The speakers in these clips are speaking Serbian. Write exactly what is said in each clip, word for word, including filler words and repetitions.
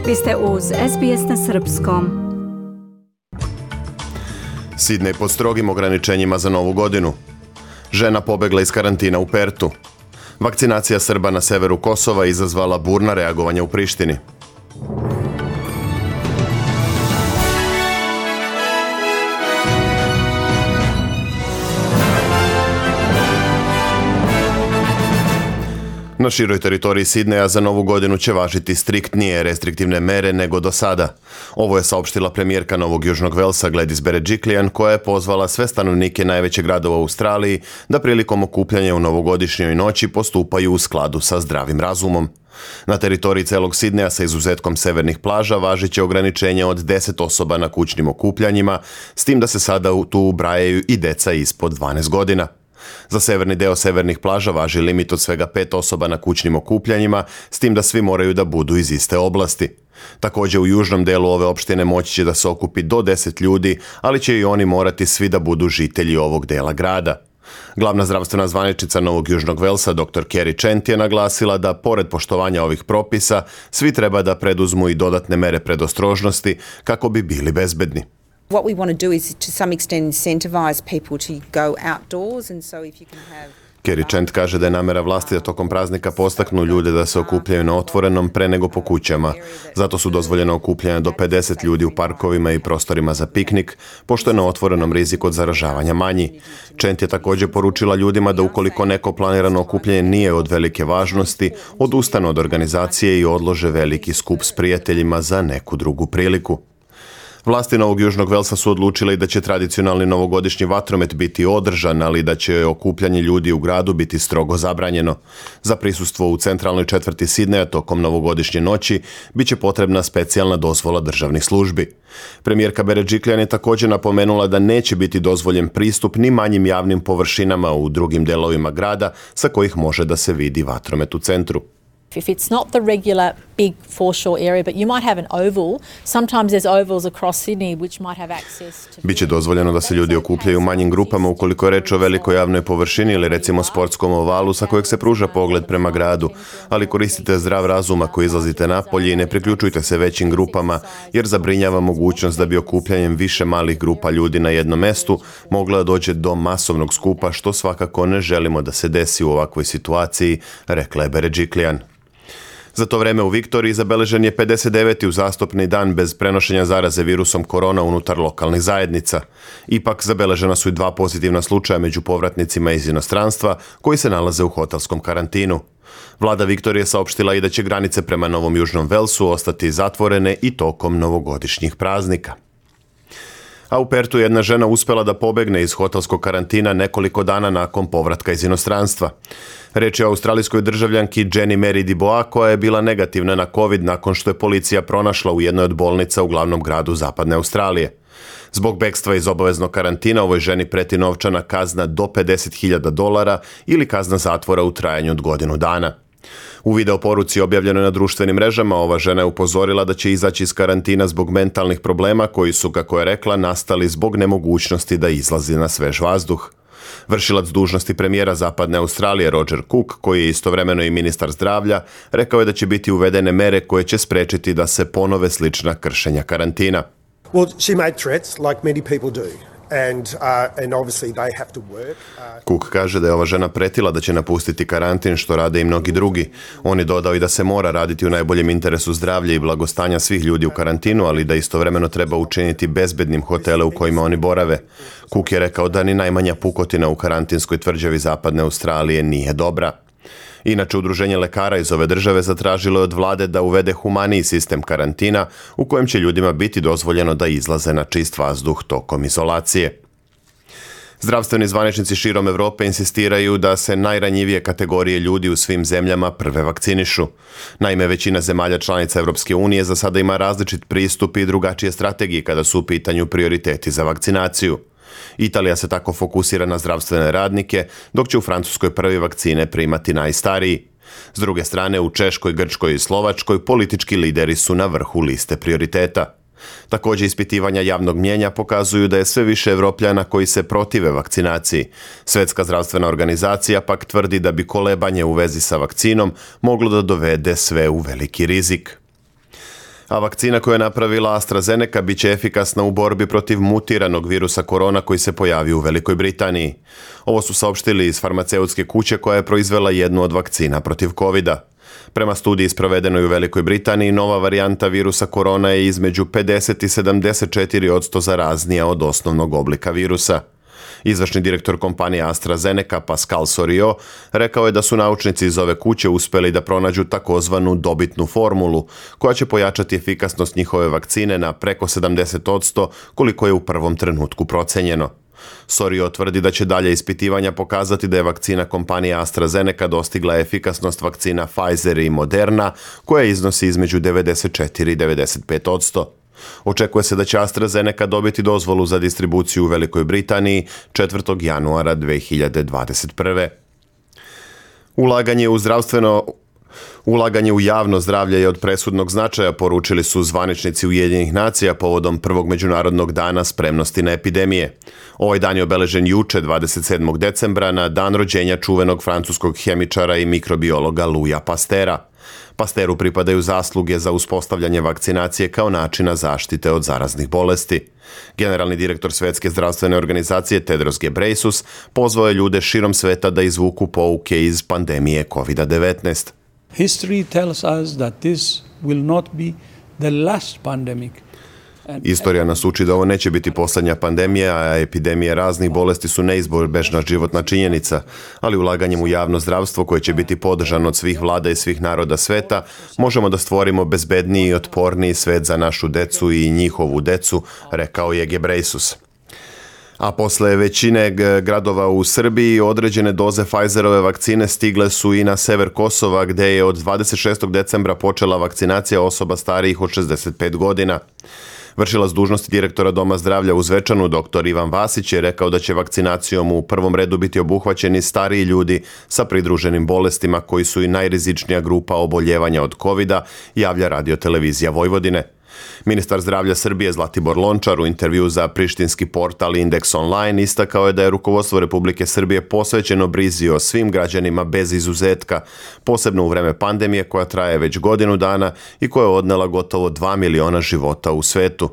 Vi ste uz S B S na srpskom. Sidnej pod strogim ograničenjima za novu godinu. Žena pobegla iz karantina u Pertu. Vakcinacija Srba na severu Kosova izazvala burna reagovanja u Prištini. Na široj teritoriji Sidneja za novu godinu će važiti striktnije restriktivne mere nego do sada. Ovo je saopštila premijerka Novog Južnog Velsa Gladys Berejiklian, koja je pozvala sve stanovnike najvećeg grada u Australiji da prilikom okupljanja u novogodišnjoj noći postupaju u skladu sa zdravim razumom. Na teritoriji celog Sidneja sa izuzetkom severnih plaža važit će ograničenje od deset osoba na kućnim okupljanjima, s tim da se sada tu ubrajaju i deca ispod dvanaest godina. Za severni deo severnih plaža važi limit od svega pet osoba na kućnim okupljanjima, s tim da svi moraju da budu iz iste oblasti. Također u južnom delu ove opštine moći će da se okupi do deset ljudi, ali će i oni morati svi da budu žitelji ovog dela grada. Glavna zdravstvena zvaničnica Novog Južnog Velsa, doktor Kerry Chant, je naglasila da, pored poštovanja ovih propisa, svi treba da preduzmu i dodatne mere predostrožnosti kako bi bili bezbedni. What we want to do is to some extent incentivize people to go outdoors, and so if you can have Kerry Chant kaže da je namera vlasti da tokom praznika postaknu ljude da se okupljaju na otvorenom pre nego po kućama. Zato su dozvoljeno okupljanja do pedeset ljudi u parkovima i prostorima za piknik, pošto je na otvorenom rizik od zaražavanja manji. Chant je također poručila ljudima da ukoliko neko planirano okupljanje nije od velike važnosti, odustanu od organizacije i odlože veliki skup s prijateljima za neku drugu priliku. Vlasti Novog Južnog Velsa su odlučile da će tradicionalni novogodišnji vatromet biti održan, ali da će okupljanje ljudi u gradu biti strogo zabranjeno. Za prisustvo u centralnoj četvrti Sidneja tokom novogodišnje noći biće potrebna specijalna dozvola državnih službi. Premijerka Berejiklian je također napomenula da neće biti dozvoljen pristup ni manjim javnim površinama u drugim delovima grada sa kojih može da se vidi vatromet u centru. If it's not the regular big foreshore area, but you might have an oval, sometimes there's ovals across Sydney which might have access to... Biće dozvoljeno da se ljudi okupljaju u manjim grupama ukoliko je reč o velikoj javnoj površini ili recimo sportskom ovalu sa kojeg se pruža pogled prema gradu, ali koristite zdrav razum ako izlazite napolje i ne priključujte se većim grupama, jer zabrinjava mogućnost da bi okupljanjem više malih grupa ljudi na jednom mestu mogla doći do masovnog skupa, što svakako ne želimo da se desi u ovakvoj situaciji, rekla je Berejiklian. Za to vreme u Viktoriji zabeležen je pedeset deveti uzastopni dan bez prenošenja zaraze virusom korona unutar lokalnih zajednica. Ipak zabeležena su i dva pozitivna slučaja među povratnicima iz inostranstva koji se nalaze u hotelskom karantinu. Vlada Viktorije saopštila i da će granice prema Novom Južnom Velsu ostati zatvorene i tokom novogodišnjih praznika. A u Pertu jedna žena uspjela da pobegne iz hotelskog karantina nekoliko dana nakon povratka iz inostranstva. Reč je o australijskoj državljanki Jenny Mary Diboa, koja je bila negativna na COVID nakon što je policija pronašla u jednoj od bolnica u glavnom gradu zapadne Australije. Zbog bekstva iz obaveznog karantina ovoj ženi preti novčana kazna do pedeset hiljada dolara ili kazna zatvora u trajanju od godinu dana. U video poruci objavljenoj na društvenim mrežama ova žena je upozorila da će izaći iz karantina zbog mentalnih problema koji su, kako je rekla, nastali zbog nemogućnosti da izlazi na svež vazduh. Vršilac dužnosti premijera Zapadne Australije Roger Cook, koji je istovremeno i ministar zdravlja, rekao je da će biti uvedene mere koje će sprečiti da se ponove slična kršenja karantina. Well, she made threats like many people do. And, uh, and obviously they have to work. Uh... Cook kaže da je ova žena pretila da će napustiti karantin, što rade i mnogi drugi. On je dodao i da se mora raditi u najboljem interesu zdravlja i blagostanja svih ljudi u karantinu, ali da istovremeno treba učiniti bezbednim hotele u kojima oni borave. Cook je rekao da ni najmanja pukotina u karantinskoj tvrđavi Zapadne Australije nije dobra. Inače, udruženje lekara iz ove države zatražilo je od vlade da uvede humaniji sistem karantina u kojem će ljudima biti dozvoljeno da izlaze na čist vazduh tokom izolacije. Zdravstveni zvaničnici širom Evrope insistiraju da se najranjivije kategorije ljudi u svim zemljama prve vakcinišu. Naime, većina zemalja članica Evropske unije za sada ima različit pristup i drugačije strategije kada su u pitanju prioriteti za vakcinaciju. Italija se tako fokusira na zdravstvene radnike, dok će u Francuskoj prvi vakcine primati najstariji. S druge strane, u Češkoj, Grčkoj i Slovačkoj politički lideri su na vrhu liste prioriteta. Također, ispitivanja javnog mnijenja pokazuju da je sve više Evropljana koji se protive vakcinaciji. Svjetska zdravstvena organizacija pak tvrdi da bi kolebanje u vezi sa vakcinom moglo da dovede sve u veliki rizik. A vakcina koju je napravila AstraZeneca bit će efikasna u borbi protiv mutiranog virusa korona koji se pojavio u Velikoj Britaniji. Ovo su saopštili iz farmaceutske kuće koja je proizvela jednu od vakcina protiv kovida. Prema studiji sprovedenoj u Velikoj Britaniji, nova varijanta virusa korona je između pedeset i sedamdeset četiri posto zaraznija od osnovnog oblika virusa. Izvršni direktor kompanije AstraZeneca Pascal Soriot rekao je da su naučnici iz ove kuće uspeli da pronađu takozvanu dobitnu formulu, koja će pojačati efikasnost njihove vakcine na preko sedamdeset posto koliko je u prvom trenutku procenjeno. Soriot tvrdi da će dalje ispitivanja pokazati da je vakcina kompanije AstraZeneca dostigla efikasnost vakcina Pfizer i Moderna, koja iznosi između devedeset četiri i devedeset pet posto. Očekuje se da će AstraZeneca dobiti dozvolu za distribuciju u Velikoj Britaniji četvrtog januara dve hiljade dvadeset prve. Ulaganje u zdravstveno Ulaganje u javno zdravlje je od presudnog značaja, poručili su zvaničnici Ujedinjenih nacija povodom prvog međunarodnog dana spremnosti na epidemije. Ovaj dan je obeležen juče, dvadeset sedmog decembra, na dan rođenja čuvenog francuskog hemičara i mikrobiologa Louisa Pasteura. Pasteuru pripadaju zasluge za uspostavljanje vakcinacije kao načina zaštite od zaraznih bolesti. Generalni direktor Svetske zdravstvene organizacije Tedros Ghebreyesus pozvao je ljude širom sveta da izvuku pouke iz pandemije kovida devetnaest. History tells us that this will not be the last pandemic. Istorija nas uči da ovo neće biti posljednja pandemija, a epidemije raznih bolesti su neizbježna životna činjenica, ali ulaganjem u javno zdravstvo koje će biti podržano od svih vlada i svih naroda sveta, možemo da stvorimo bezbedniji i otporniji svet za našu decu i njihovu decu, rekao je Ghebreyesus. A posle većine gradova u Srbiji određene doze Pfizerove vakcine stigle su i na sever Kosova, gde je od dvadeset šestog decembra počela vakcinacija osoba starijih od šezdeset pet godina. Vršilac dužnosti direktora Doma zdravlja u Zvečanu, doktor Ivan Vasić, je rekao da će vakcinacijom u prvom redu biti obuhvaćeni stariji ljudi sa pridruženim bolestima koji su i najrizičnija grupa oboljevanja od kovida, javlja Radio-televizija Vojvodine. Ministar zdravlja Srbije Zlatibor Lončar u intervju za prištinski portal Indeks Online istakao je da je rukovodstvo Republike Srbije posvećeno brizi o svim građanima bez izuzetka, posebno u vreme pandemije koja traje već godinu dana i koja je odnela gotovo dva miliona života u svetu.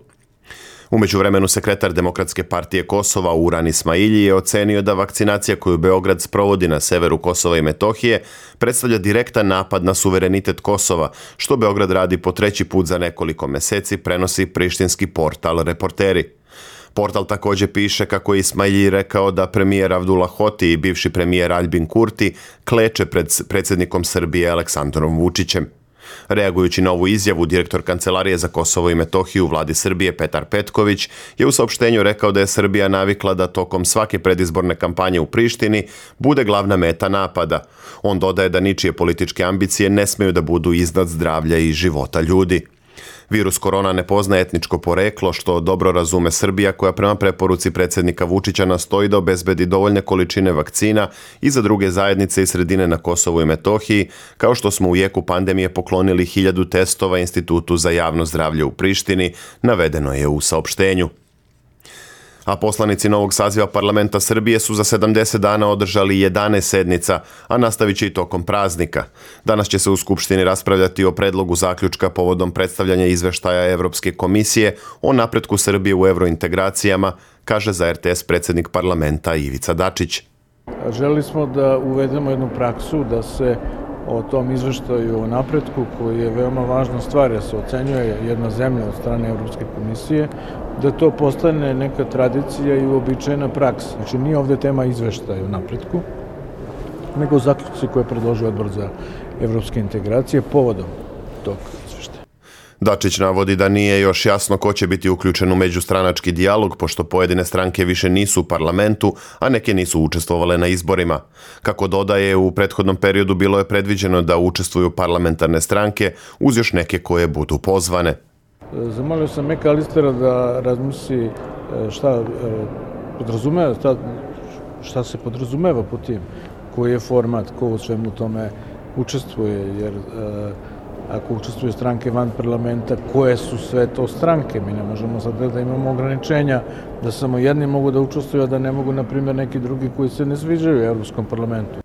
U međuvremenu sekretar Demokratske partije Kosova Uran Ismailji je ocenio da vakcinacija koju Beograd sprovodi na severu Kosova i Metohije predstavlja direktan napad na suverenitet Kosova, što Beograd radi po treći put za nekoliko meseci, prenosi prištinski portal Reporteri. Portal također piše kako je Ismailji rekao da premijer Abdullah Hoti i bivši premijer Aljbin Kurti kleče pred predsjednikom Srbije Aleksandrom Vučićem. Reagujući na ovu izjavu, direktor Kancelarije za Kosovo i Metohiju u vladi Srbije Petar Petković je u saopštenju rekao da je Srbija navikla da tokom svake predizborne kampanje u Prištini bude glavna meta napada. On dodaje da ničije političke ambicije ne smeju da budu iznad zdravlja i života ljudi. Virus korona ne poznaje etničko poreklo, što dobro razume Srbija, koja prema preporuci predsjednika Vučića nastoji da obezbedi dovoljne količine vakcina i za druge zajednice i sredine na Kosovu i Metohiji, kao što smo u jeku pandemije poklonili hiljadu testova Institutu za javno zdravlje u Prištini, navedeno je u saopštenju. A poslanici novog saziva parlamenta Srbije su za sedamdeset dana održali jedanaest sednica, a nastavit će i tokom praznika. Danas će se u Skupštini raspravljati o predlogu zaključka povodom predstavljanja izveštaja Evropske komisije o napretku Srbije u evrointegracijama, kaže za er te es predsjednik parlamenta Ivica Dačić. Želeli smo da uvedemo jednu praksu da se o tom izveštaju o napretku, koji je veoma važna stvar, jer se ocenjuje jedna zemlja od strane Evropske komisije, da to postane neka tradicija i uobičajena praksa. Znači, nije ovdje tema izveštaja o napretku, nego zaključci koje je predložio Odbor za evropske integracije povodom tog izveštaja. Dačić navodi da nije još jasno ko će biti uključen u međustranački dijalog, pošto pojedine stranke više nisu u parlamentu, a neke nisu učestvovale na izborima. Kako dodaje, u prethodnom periodu bilo je predviđeno da učestvuju parlamentarne stranke uz još neke koje budu pozvane. Zamolio sam Meka Alistera da razmisli šta podrazumeva, šta, šta se podrazumeva po tim, koji je format, ko u svemu tome učestvuje, jer ako učestvuju stranke van parlamenta, koje su sve to stranke? Mi ne možemo sad da imamo ograničenja da samo jedni mogu da učestvuju, a da ne mogu, na primjer, neki drugi koji se ne sviđaju u Evropskom parlamentu.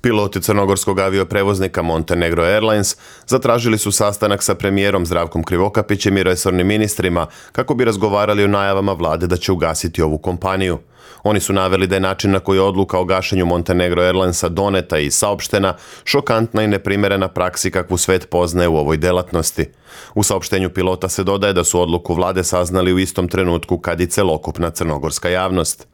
Piloti crnogorskog avioprevoznika Montenegro Airlines zatražili su sastanak sa premijerom Zdravkom Krivokapićem i resornim ministrima kako bi razgovarali o najavama vlade da će ugasiti ovu kompaniju. Oni su naveli da je način na koji je odluka o gašenju Montenegro Airlinesa doneta i saopštena šokantna i neprimerena praksi kakvu svet poznaje u ovoj delatnosti. U saopštenju pilota se dodaje da su odluku vlade saznali u istom trenutku kad i celokupna crnogorska javnost.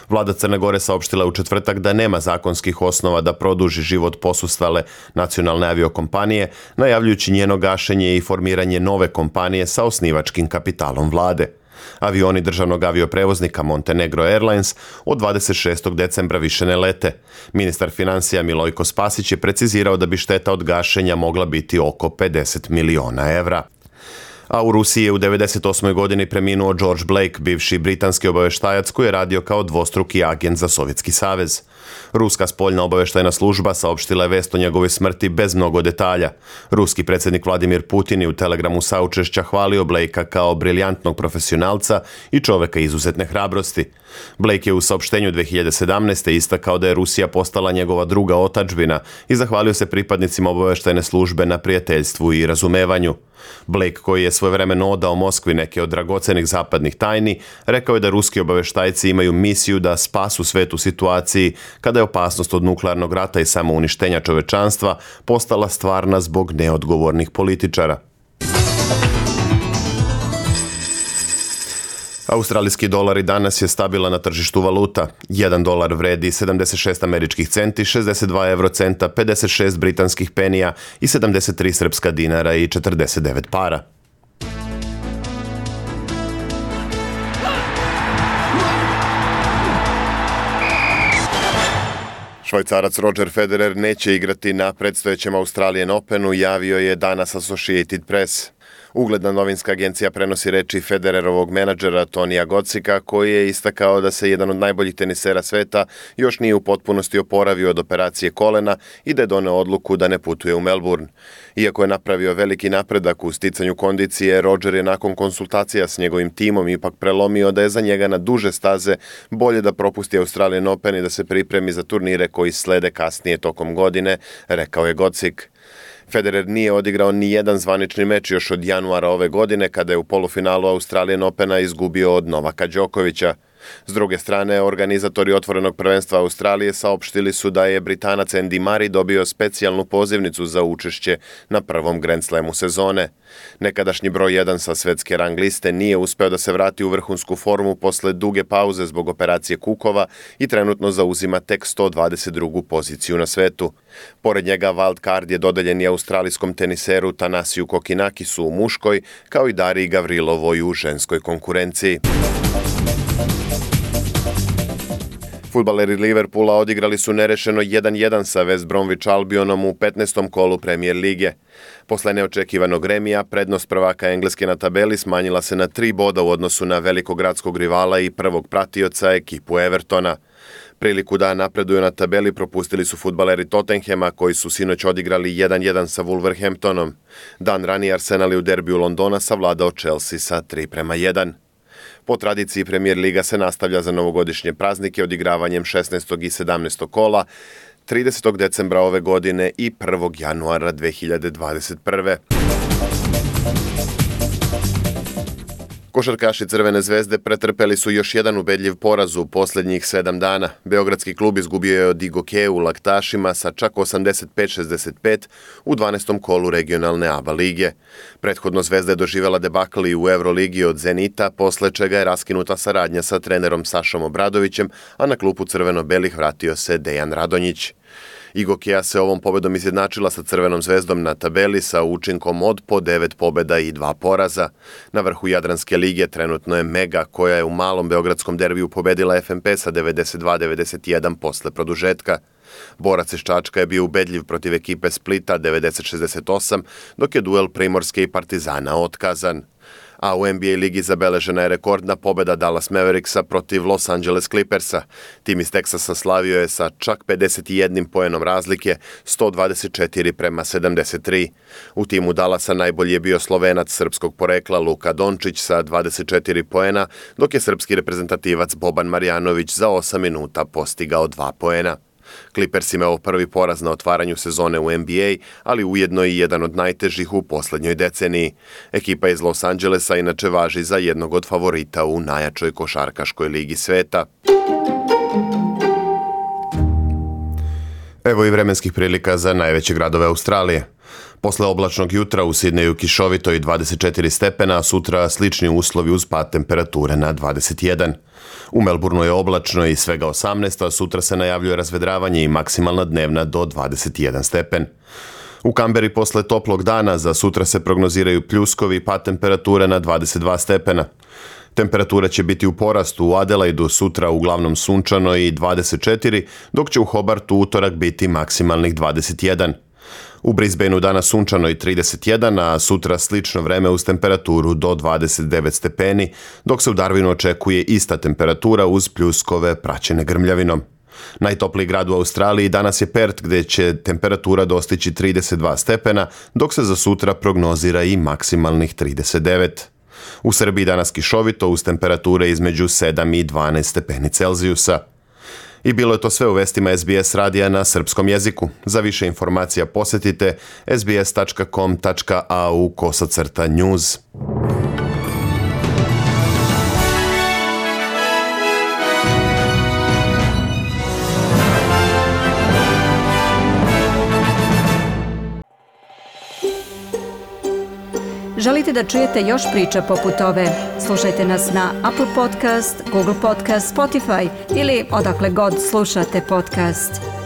Vlada Crne Gore saopštila u četvrtak da nema zakonskih osnova da produži život posustale nacionalne aviokompanije, najavljujući njeno gašenje i formiranje nove kompanije sa osnivačkim kapitalom vlade. Avioni državnog avioprevoznika Montenegro Airlines od dvadeset šestog decembra više ne lete. Ministar financija Milojko Spasić je precizirao da bi šteta od gašenja mogla biti oko pedeset miliona evra. A u Rusiji je u devedeset osmoj godini preminuo George Blake, bivši britanski obaveštajac koji je radio kao dvostruki agent za Sovjetski savez. Ruska spoljna obaveštajna služba saopštila je vest o njegovoj smrti bez mnogo detalja. Ruski predsjednik Vladimir Putin je u telegramu saučešća hvalio Blakea kao briljantnog profesionalca i čoveka izuzetne hrabrosti. Blake je u saopštenju dve hiljade sedamnaeste. istakao da je Rusija postala njegova druga otadžbina i zahvalio se pripadnicima obaveštajne službe na prijateljstvu i razumevanju. Blake, koji je svojevremeno odao Moskvi neke od dragocenih zapadnih tajni, rekao je da ruski obaveštajci imaju misiju da spasu svet u situaciji kada je opasnost od nuklearnog rata i samouništenja čovečanstva postala stvarna zbog neodgovornih političara. Australijski dolar i danas je stabilan na tržištu valuta. Jedan dolar vredi sedamdeset šest američkih centi, šezdeset dva evrocenta, pedeset šest britanskih penija i sedamdeset tri srpska dinara i četrdeset devet para. Švajcarac Roger Federer neće igrati na predstojećem Australian Openu, javio je danas Associated Press. Ugledna novinska agencija prenosi reči Federerovog menadžera Tonija Gocika, koji je istakao da se jedan od najboljih tenisera sveta još nije u potpunosti oporavio od operacije kolena i da je doneo odluku da ne putuje u Melbourne. Iako je napravio veliki napredak u sticanju kondicije, Roger je nakon konsultacija s njegovim timom ipak prelomio da je za njega na duže staze bolje da propusti Australian Open i da se pripremi za turnire koji slede kasnije tokom godine, rekao je Gocik. Federer nije odigrao ni jedan zvanični meč još od januara ove godine kada je u polufinalu Australian Opena izgubio od Novaka Đokovića. S druge strane, organizatori otvorenog prvenstva Australije saopštili su da je Britanac Andy Murray dobio specijalnu pozivnicu za učešće na prvom Grand Slamu sezone. Nekadašnji broj jedan sa svetske rang liste nije uspeo da se vrati u vrhunsku formu posle duge pauze zbog operacije kukova i trenutno zauzima tek sto dvadeset drugu poziciju na svetu. Pored njega wild card je dodeljen i australijskom teniseru Tanasiju Kokinakisu u muškoj, kao i Dariji Gavrilovoj u ženskoj konkurenciji. Fudbaleri Liverpoola odigrali su nerešeno jedan jedan sa West Bromwich Albionom u petnaestom kolu Premier lige. Posle neočekivanog remija, prednost prvaka Engleske na tabeli smanjila se na tri boda u odnosu na velikogradskog rivala i prvog pratioca ekipu Evertona. Priliku da napreduju na tabeli propustili su fudbaleri Tottenhema koji su sinoć odigrali jedan jedan sa Wolverhamptonom. Dan ranije Arsenal je u derbiju Londona savladao Chelsea sa tri prema jedan. Po tradiciji Premier Liga se nastavlja za novogodišnje praznike odigravanjem šesnaestog i sedamnaestog kola, tridesetog decembra ove godine i prvog januara dve hiljade dvadeset prve. Košarkaši Crvene zvezde pretrpeli su još jedan ubedljiv poraz u posljednjih sedam dana. Beogradski klub izgubio je od Igokeu u Laktašima sa čak osamdeset pet šezdeset pet u dvanaestom kolu regionalne A B A lige. Prethodno Zvezda je doživjela debakl i u Euroligi od Zenita, posle čega je raskinuta saradnja sa trenerom Sašom Obradovićem, a na klupu crveno-belih vratio se Dejan Radonjić. Igokea se ovom pobedom izjednačila sa Crvenom zvezdom na tabeli sa učinkom od po devet pobeda i dva poraza. Na vrhu Jadranske lige trenutno je Mega, koja je u malom beogradskom derbiju pobedila F M P sa devedeset dva devedeset jedan posle produžetka. Borac iz Čačka je bio ubedljiv protiv ekipe Splita devedeset šezdeset osam, dok je duel Primorske i Partizana otkazan. A u N B A ligi zabeležena je rekordna pobeda Dallas Mavericksa protiv Los Angeles Clippersa. Tim iz Teksasa slavio je sa čak pedeset jedan poenom razlike, sto dvadeset četiri prema sedamdeset tri. U timu Dallasa najbolji je bio Slovenac srpskog porekla Luka Dončić sa dvadeset četiri poena, dok je srpski reprezentativac Boban Marjanović za osam minuta postigao dva poena. Clippers imao prvi poraz na otvaranju sezone u N B A, ali ujedno i jedan od najtežih u poslednjoj deceniji. Ekipa iz Los Angelesa inače važi za jednog od favorita u najjačoj košarkaškoj ligi sveta. Evo i vremenskih prilika za najveće gradove Australije. Posle oblačnog jutra u Sidneju kišovito i dvadeset četiri stepena, a sutra slični uslovi uz pad temperature na dvadeset jedan. U Melbourneu je oblačno i svega osamnaest, a sutra se najavljuje razvedravanje i maksimalna dnevna do dvadeset jedan stepen. U Kamberi posle toplog dana za sutra se prognoziraju pljuskovi i pad temperature na dvadeset dva stepena. Temperatura će biti u porastu u Adelaidu sutra uglavnom sunčano i dvadeset četiri, dok će u Hobartu utorak biti maksimalnih dvadeset jedan. U Brisbaneu danas sunčano i trideset jedan, a sutra slično vreme uz temperaturu do dvadeset devet stepeni, dok se u Darwinu očekuje ista temperatura uz pljuskove praćene grmljavinom. Najtopliji grad u Australiji danas je Perth, gdje će temperatura dostići trideset dva stepena, dok se za sutra prognozira i maksimalnih trideset devet. U Srbiji danas kišovito uz temperature između sedam i dvanaest stepeni Celzijusa. I bilo je to sve u vestima S B S radija na srpskom jeziku. Za više informacija posjetite s b s tačka com tačka a u kosacrta news. Želite da čujete još priča poput ove? Slušajte nas na Apple Podcast, Google Podcast, Spotify ili odakle god slušate podcast.